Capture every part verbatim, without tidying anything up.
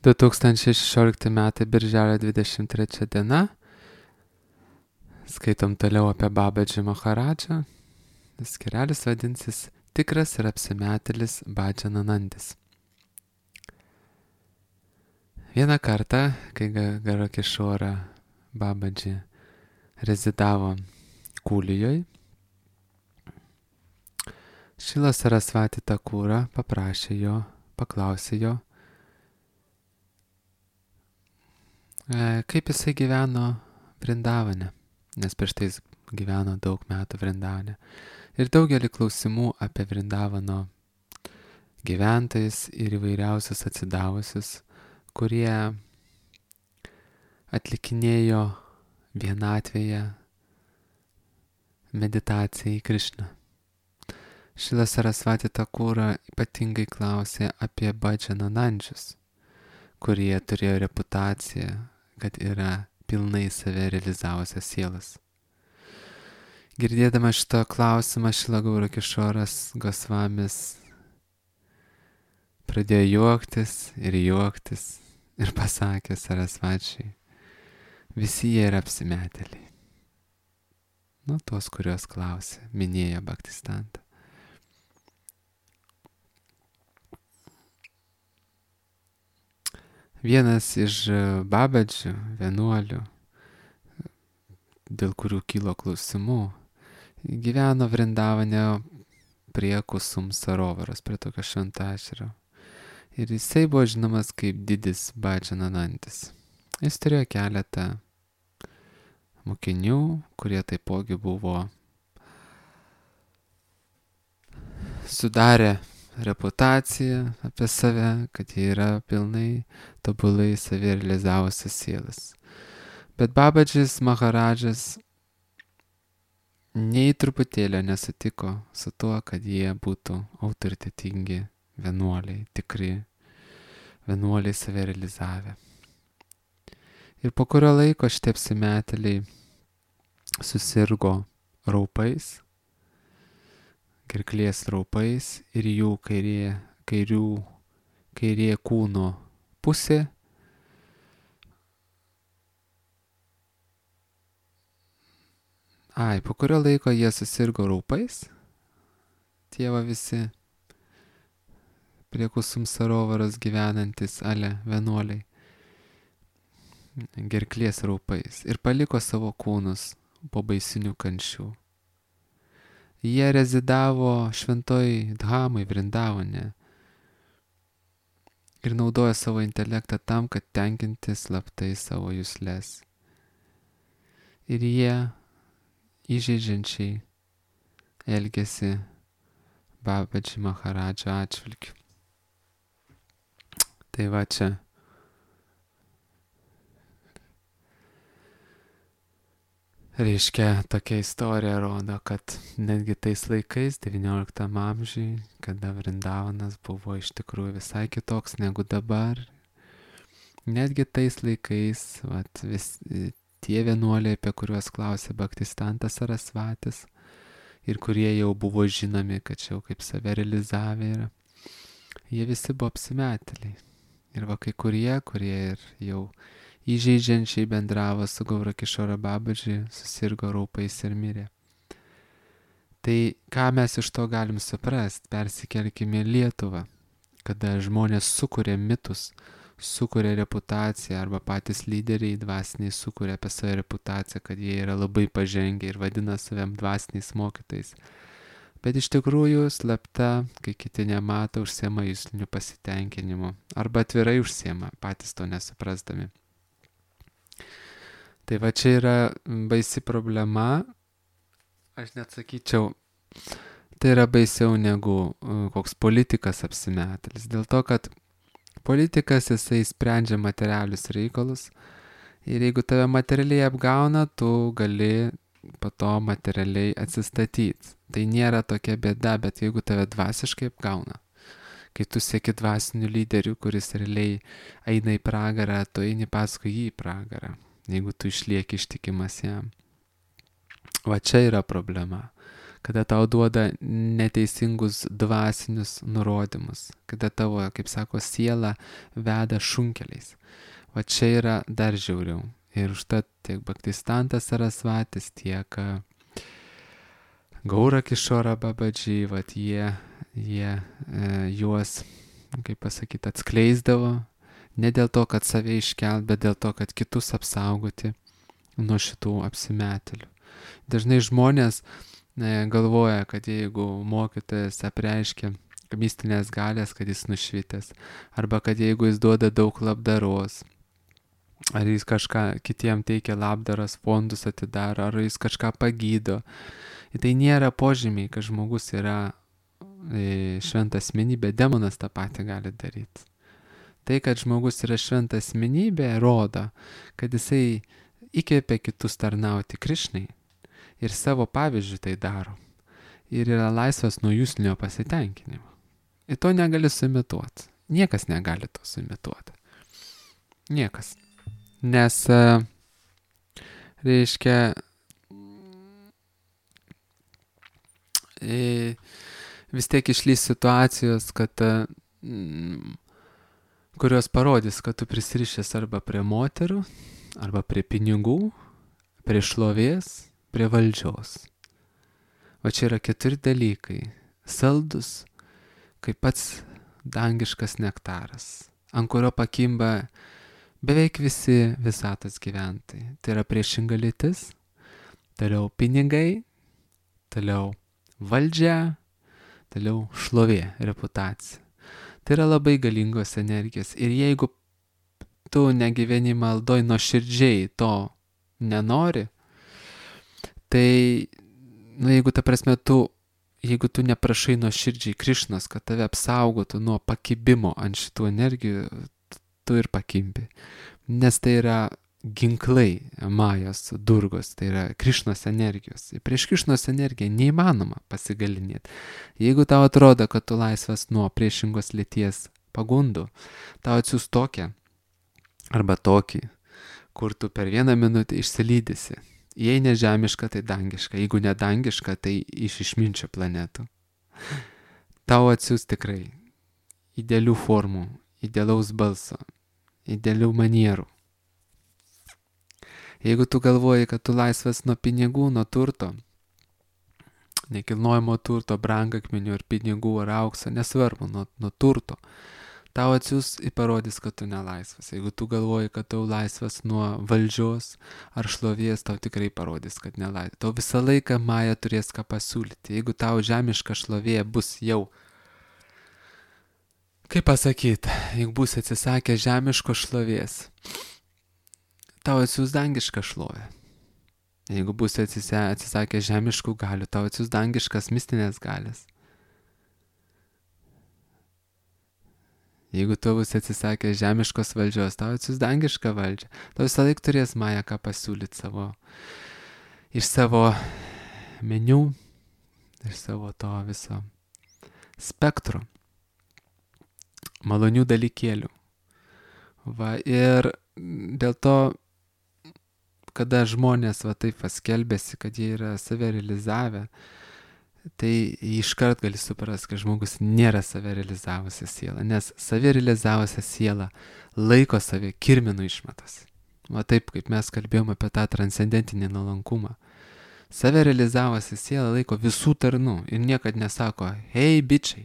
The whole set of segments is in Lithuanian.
du tūkstančiai šešiolikti metai birželio dvidešimt trečia diena. Skaitom toliau apie Babadžį Maharadžą. Skirelis vadinsis Tikras ir apsimetėlis Badžananandis. Vieną kartą, kai Garakešvara Babadžį rezidavo Kūlijoje, Šrila Sarasvati Thakura paprašė jo, paklausė jo, kaip jisai gyveno Vrindavane, nes prieš tai jis gyveno daug metų Vrindavane. Ir daugelį klausimų apie Vrindavano gyventojus ir įvairiausius atsidavusius, kurie atlikinėjo vienatvėje meditaciją į Krišną. Šrila Sarasvati Thakura ypatingai klausė apie Badžananandžius, kurie turėjo reputaciją, kad yra pilnai save realizavusios sielas. Girdėdama šito klausimą, Šrila Gaurokešvaras Gosvamis pradėjo juoktis ir juoktis ir pasakė Sarasvačiai, visi jie yra apsimetėliai. Nu, tos, kurios klausė, minėjo Bhaktistantą. Vienas iš Babadžių vienuolių, dėl kurių kilo klausimų, gyveno Vrindavane prie Kusum Sarovaros, prie tokio šventašerio. Ir jisai buvo žinomas kaip didis Badžananandis. Jis turėjo keletą mokinių, kurie taipogi buvo sudarę reputaciją apie save, kad jie yra pilnai tobulai save realizavusios sielas. Bet Babadžis Maharadžas nei truputėlio nesutiko su tuo, kad jie būtų autoritetingi vienuoliai, tikri vienuoliai save realizavę. Ir po kurio laiko šitie apsimetėliai susirgo raupais, gerklės raupais ir jų kairė, kairių, kairė kūno pusė Ai, po kurio laiko jie susirgo raupais, tie va visi prie Kusum Sarovaros gyvenantis ale vienuoliai, gerklės raupais ir paliko savo kūnus po baisinių kančių. Jie rezidavo šventoj Dhamai Vrindavane ir naudojo savo intelektą tam, kad tenkinti slaptai savo jusles. Ir jie įžeidžiančiai elgėsi Babadžį Maharadžą atžvilgiu. Tai va čia. Reiškia, tokia istorija rodo, kad netgi tais laikais, devynioliktam amžiui, kada Vrindavanas buvo iš tikrųjų visai kitoks negu dabar, netgi tais laikais, vat, vis, tie vienuoliai, apie kuriuos klausė Bhaktistantas Sarasvatis ir kurie jau buvo žinomi, kad čia jau kaip save realizavę yra, jie visi buvo apsimetėliai. Ir va kai kurie, kurie ir jau įžeidžiančiai bendravo su Gaurakešvara Babadži, susirgo raupais ir mirė. Tai ką mes iš to galim suprast, persikelkime į Lietuvą, kada žmonės sukuria mitus, sukuria reputaciją arba patys lyderiai dvasiniai sukuria apie savo reputaciją, kad jie yra labai pažengę ir vadina saviem dvasiniais mokytais. Bet iš tikrųjų slapta, kai kiti nemato, užsiema jusliniu pasitenkinimu arba atvirai užsiema, patys to nesuprasdami. Tai va čia yra baisi problema, aš net sakyčiau, tai yra baisiau negu koks politikas apsimetėlis. Dėl to, kad politikas jisai sprendžia materialius reikalus ir jeigu tave materialiai apgauna, tu gali po to materialiai atsistatyti. Tai nėra tokia bėda, bet jeigu tave dvasiškai apgauna, kai tu sieki dvasinių lyderių, kuris realiai eina į pragarą, tu eini paskui jį į pragarą, jeigu tu išlieki ištikimas jam. Va čia yra problema, kada tau duoda neteisingus dvasinius nurodymus, kada tavo, kaip sako, siela veda šunkeliais. O čia yra dar žiauriau. Ir užtat tiek Bhaktistantas Sarasvatis, tiek Gaura Kishora Babadži, vat jie, jie e, juos, kaip pasakyti, atskleisdavo, ne dėl to, kad save iškelt, bet dėl to, kad kitus apsaugoti nuo šitų apsimetėlių. Dažnai žmonės e, galvoja, kad jeigu mokytojas apreiškia mistinės galės, kad jis nušvitęs, arba kad jeigu jis duoda daug labdaros, ar jis kažką kitiem teikia labdaras, fondus atidaro, ar jis kažką pagydo. Ir tai nėra požymiai, kad žmogus yra e, šventa asmenybė, demonas tą patį gali daryti. Tai, kad žmogus yra šventa asmenybė, rodo, kad jisai įkvėpia kitus tarnauti Krišnai ir savo pavyzdžių tai daro. Ir yra laisvas nuo jūslinio pasitenkinimo. Ir to negali suimituoti. Niekas negali to suimituoti. Niekas. Nes, reiškia, vis tiek išlys situacijos, kad, kurios parodys, kad tu prisirišęs arba prie moterų, arba prie pinigų, prie šlovės, prie valdžios. O čia yra keturi dalykai. Saldus, kaip pats dangiškas nektaras, ant kurio pakimba beveik visi visatos gyventojai. Tai yra priešinga lytis, toliau pinigai, toliau valdžia, toliau šlovė, reputacija. Tai yra labai galingos energijos. Ir jeigu tu negyveni maldoj nuoširdžiai to nenori, tai, nu, jeigu ta prasme tu, jeigu tu neprašai nuoširdžiai Krišnos, kad tave apsaugotų nuo pakibimo ant šitų energijų, tu ir pakimbi. Nes tai yra ginklai Majos, Durgos, tai yra Krišnos energijos. Ir prieš Krišnos energiją neįmanoma pasigalinėti. Jeigu tau atrodo, kad tu laisvas nuo priešingos lyties pagundų, tau atsiųs tokią arba tokį, kur tu per vieną minutę išsilydysi. Jei ne žemiška, tai dangiška. Jeigu ne dangiška, tai iš išminčio planetų. Tau atsiųs tikrai idealių formų, idealaus balso, idealių manierų. Jeigu tu galvoji, kad tu laisvas nuo pinigų, nuo turto, nekilnojamo turto, brangakmenių ar pinigų ar aukso, nesvarbu, nuo, nuo turto, tau atsiųs ir parodys, kad tu nelaisvas. Jeigu tu galvoji, kad tu laisvas nuo valdžios ar šlovės, tau tikrai parodys, kad nelaisvas. Tau visą laiką Maja turės ką pasiūlyti. Jeigu tau žemiška šlovė bus jau, kaip pasakyti, jeigu bus atsisakę žemiško šlovės, tau atsiūs dangišką šlovę. Jeigu bus atsisakę žemiškų galių, tau atsiūs dangiškas mistinės galės. Jeigu tu bus atsisakę žemiškos valdžios, tau atsiūs dangišką valdžią. Tau visą laiką turės Maja ką pasiūlyti savo, iš savo meniu, iš savo to viso spektro malonių dalykėlių. Va, ir dėl to, kada žmonės va taip paskelbėsi, kad jie yra save realizavę, tai iškart gali suprasti, kad žmogus nėra save realizavusi siela, nes save realizavusi siela laiko save kirminų išmetas. Va taip, kaip mes kalbėjome apie tą transcendentinį nuolankumą. Save realizavusi siela laiko visų tarnų ir niekad nesako, hei bičiai,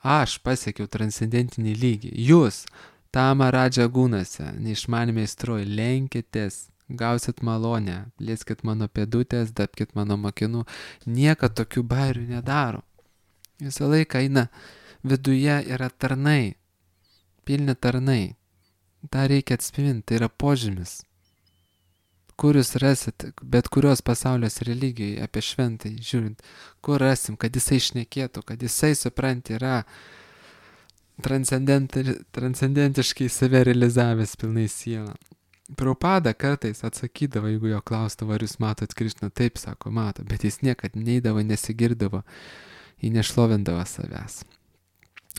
aš pasiekiau transcendentinį lygį, jūs, Tama Radža Gūnose, neišmanimi aistroj, lenkitės, gausit malonę, lieskit mano pėdutės, dapkit mano mokinų, niekad tokių bairių nedaro. Visą laiką eina viduje yra tarnai, pilni tarnai. Ta reikia atspinti, tai yra požymis. Kur jūs rasit, bet kurios pasaulios religijai apie šventai, žiūrint, kur rasim, kad jisai šnekėtų, kad jisai, supranti, yra transcendenti, transcendentiškai save realizavęs pilnai sielą. Prabhupada kartais atsakydavo, jeigu jo klausdavo, ar jūs matot Krišną, taip sako, mato, bet jis niekad neidavo, nesigirdavo, jį nešlovindavo savęs.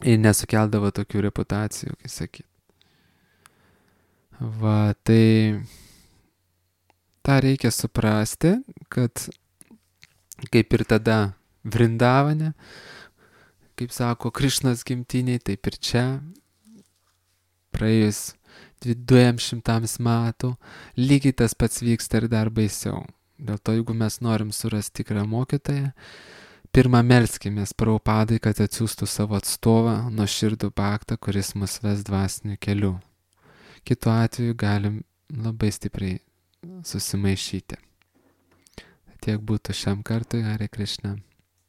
Ir nesukeldavo tokių reputacijų, kaip sakyt. Va, tai tą reikia suprasti, kad kaip ir tada Vrindavane, kaip sako Krišnos gimtiniai, taip ir čia, praėjus dviem šimtams metų, lygiai tas pats vyksta ir dar baisiau. Dėl to, jeigu mes norim surasti tikrą mokytoją, pirmą melskimės Prabhupadai, kad atsiųstų savo atstovą, nuoširdų baktą, kuris mus ves dvasiniu keliu. Kitu atveju galim labai stipriai susimaišyti. Tiek būtų šiam kartui, Hare Krishna.